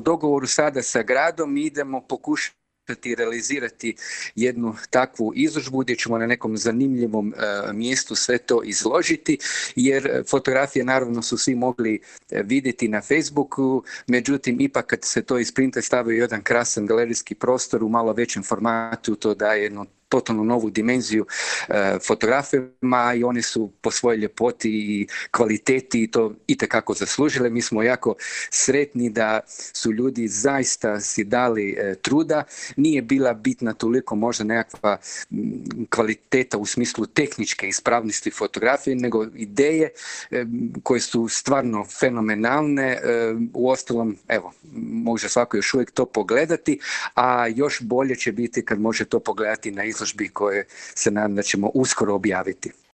dogovoru sada sa gradom idemo pokušati realizirati jednu takvu izložbu gdje ćemo na nekom zanimljivom mjestu sve to izložiti, jer fotografije naravno su svi mogli vidjeti na Facebooku, međutim ipak kad se to isprinta stavi u jedan krasan galerijski prostor u malo većem formatu, to daje jednu totalno novu dimenziju fotografima i one su po svojoj ljepoti i kvaliteti to itekako zaslužile. Mi smo jako sretni da su ljudi zaista si dali truda. Nije bila bitna toliko možda nekakva kvaliteta u smislu tehničke ispravnosti fotografije, nego ideje koje su stvarno fenomenalne. Uostalom, evo, može svako još uvijek to pogledati, a još bolje će biti kad može to pogledati na izložbi koje se nadam da ćemo uskoro objaviti.